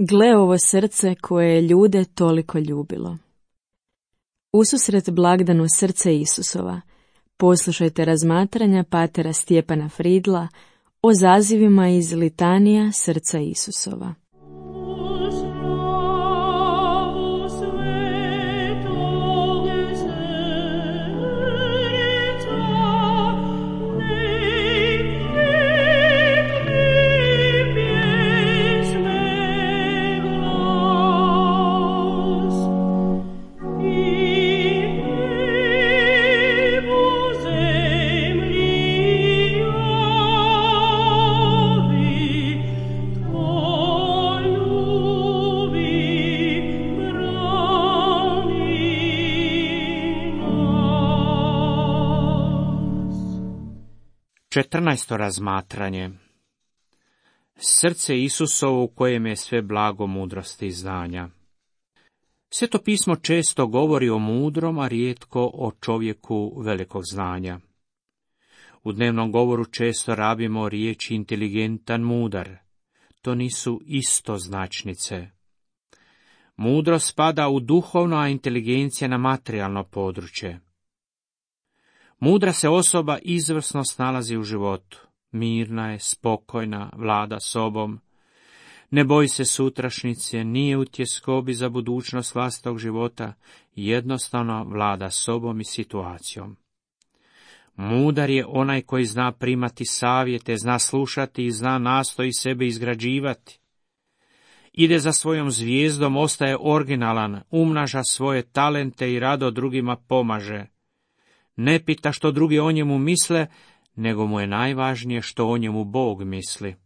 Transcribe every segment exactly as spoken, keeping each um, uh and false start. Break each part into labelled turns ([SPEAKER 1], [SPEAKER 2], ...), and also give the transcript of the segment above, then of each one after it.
[SPEAKER 1] Gle ovo srce koje je ljude toliko ljubilo. Ususret blagdanu srce Isusova, poslušajte razmatranja patera Stjepana Fridla o zazivima iz litanija srca Isusova.
[SPEAKER 2] Četrnaesto razmatranje. Srce Isusovo u kojem je sve blago mudrosti i znanja. Sveto pismo često govori o mudrom, a rijetko o čovjeku velikog znanja. U dnevnom govoru često rabimo riječi inteligentan, mudar. To nisu istoznačnice. Mudrost spada u duhovno, a inteligencija na materijalno područje. Mudra se osoba izvrsno snalazi u životu. Mirna je, spokojna, vlada sobom. Ne boji se sutrašnjice, nije u tjeskobi za budućnost vlastitog života, jednostavno vlada sobom i situacijom. Mudar je onaj koji zna primati savjete, zna slušati i zna nastoji sebe izgrađivati. Ide za svojom zvijezdom, ostaje originalan, umnaža svoje talente i rado drugima pomaže. Ne pita što drugi o njemu misle, nego mu je najvažnije što o njemu Bog misli.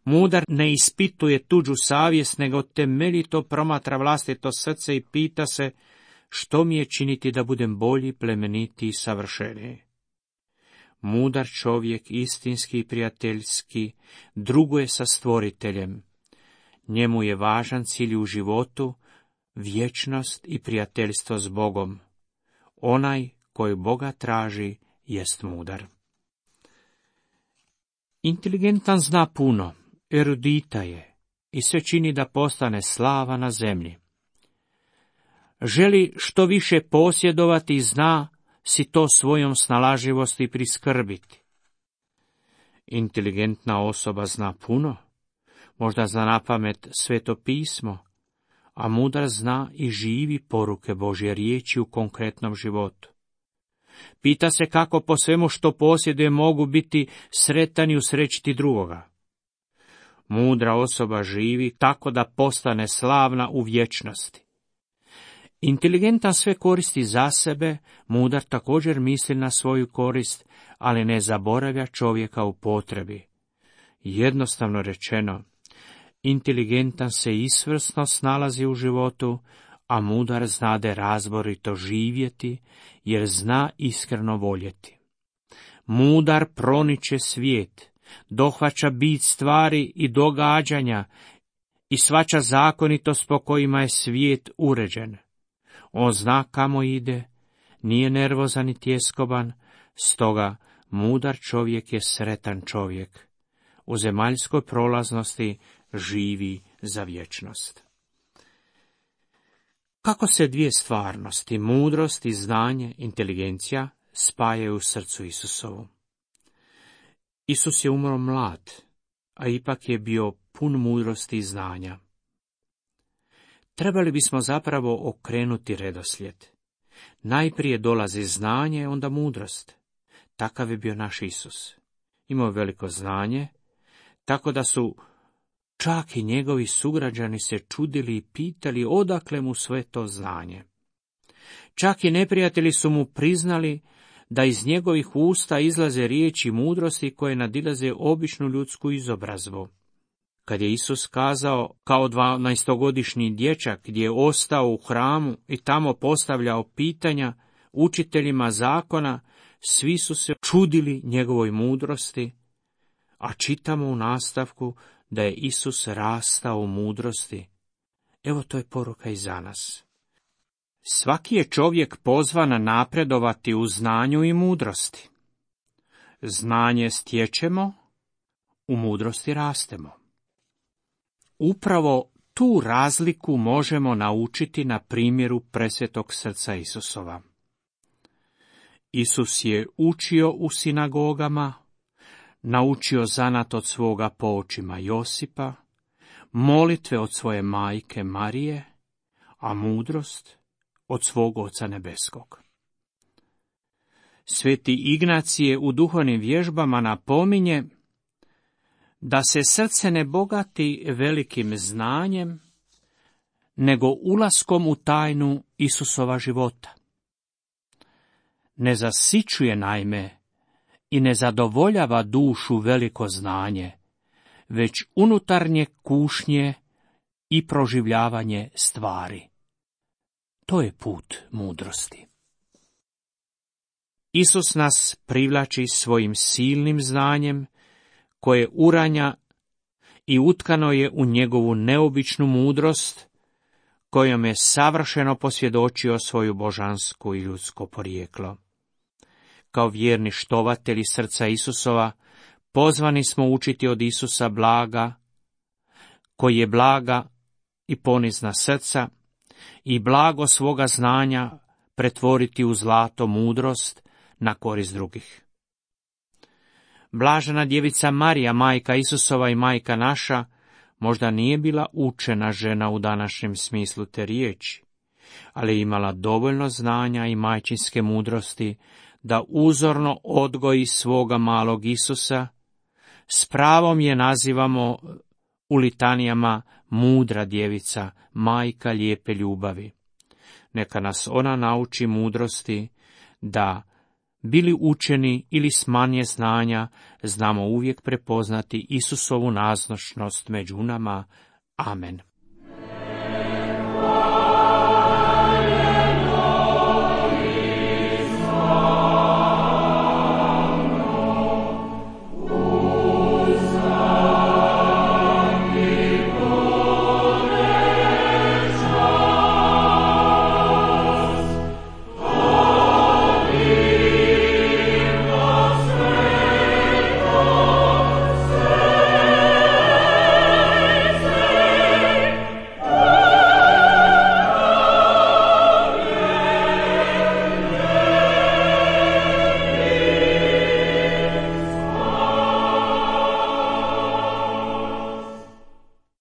[SPEAKER 2] Mudar ne ispituje tuđu savjest, nego temeljito promatra vlastito srce i pita se što mi je činiti da budem bolji, plemenitiji i savršeniji. Mudar čovjek, istinski i prijateljski, druguje sa Stvoriteljem. Njemu je važan cilj u životu, vječnost i prijateljstvo s Bogom. Onaj koji Boga traži jest mudar. Inteligentan zna puno, erudita je i sve čini da postane slava na zemlji. Želi što više posjedovati i zna si to svojom snalažljivosti priskrbiti. Inteligentna osoba zna puno, možda zna napamet Sveto pismo, a mudar zna i živi poruke Božje riječi u konkretnom životu. Pita se kako po svemu što posjeduje mogu biti sretan i usrećiti drugoga. Mudra osoba živi tako da postane slavna u vječnosti. Inteligentan sve koristi za sebe, mudar također misli na svoju korist, ali ne zaboravlja čovjeka u potrebi. Jednostavno rečeno, inteligentan se izvrsno snalazi u životu, a mudar znade razborito živjeti, jer zna iskreno voljeti. Mudar proniče svijet, dohvaća bit stvari i događanja i shvaća zakonitost po kojima je svijet uređen. On zna kamo ide, nije nervozan i tjeskoban, stoga mudar čovjek je sretan čovjek. U zemaljskoj prolaznosti živi za vječnost. Kako se dvije stvarnosti, mudrost i znanje, inteligencija, spajaju u srcu Isusovu? Isus je umro mlad, a ipak je bio pun mudrosti i znanja. Trebali bismo zapravo okrenuti redoslijed. Najprije dolazi znanje, onda mudrost. Takav je bio naš Isus. Imao veliko znanje, tako da su čak i njegovi sugrađani se čudili i pitali odakle mu sve to znanje. Čak i neprijatelji su mu priznali da iz njegovih usta izlaze riječi mudrosti koje nadilaze običnu ljudsku izobrazbu. Kad je Isus kazao kao dvanaestogodišnji dječak gdje je ostao u hramu i tamo postavljao pitanja učiteljima zakona, svi su se čudili njegovoj mudrosti, a čitamo u nastavku da je Isus rastao u mudrosti. Evo to je poruka i za nas. Svaki je čovjek pozvan napredovati u znanju i mudrosti. Znanje stječemo, u mudrosti rastemo. Upravo tu razliku možemo naučiti na primjeru presvetog srca Isusova. Isus je učio u sinagogama, naučio zanat od svoga poočima Josipa, molitve od svoje majke Marije, a mudrost od svog Oca nebeskog. Sveti Ignacije u duhovnim vježbama napominje da se srce ne bogati velikim znanjem, nego ulaskom u tajnu Isusova života. Ne zasićuje naime i ne zadovoljava dušu veliko znanje, već unutarnje kušnje i proživljavanje stvari. To je put mudrosti. Isus nas privlači svojim silnim znanjem, koje uranja i utkano je u njegovu neobičnu mudrost, kojom je savršeno posvjedočio svoju božansku i ljudsko porijeklo. Kao vjerni štovatelji srca Isusova, pozvani smo učiti od Isusa blaga, koji je blaga i ponizna srca, i blago svoga znanja pretvoriti u zlato mudrost na korist drugih. Blažena djevica Marija, majka Isusova i majka naša, možda nije bila učena žena u današnjem smislu te riječi, ali je imala dovoljno znanja i majčinske mudrosti da uzorno odgoji svoga malog Isusa. S pravom je nazivamo u litanijama mudra djevica, majka lijepe ljubavi. Neka nas ona nauči mudrosti da, bili učeni ili s manje znanja, znamo uvijek prepoznati Isusovu nazočnost među nama. Amen.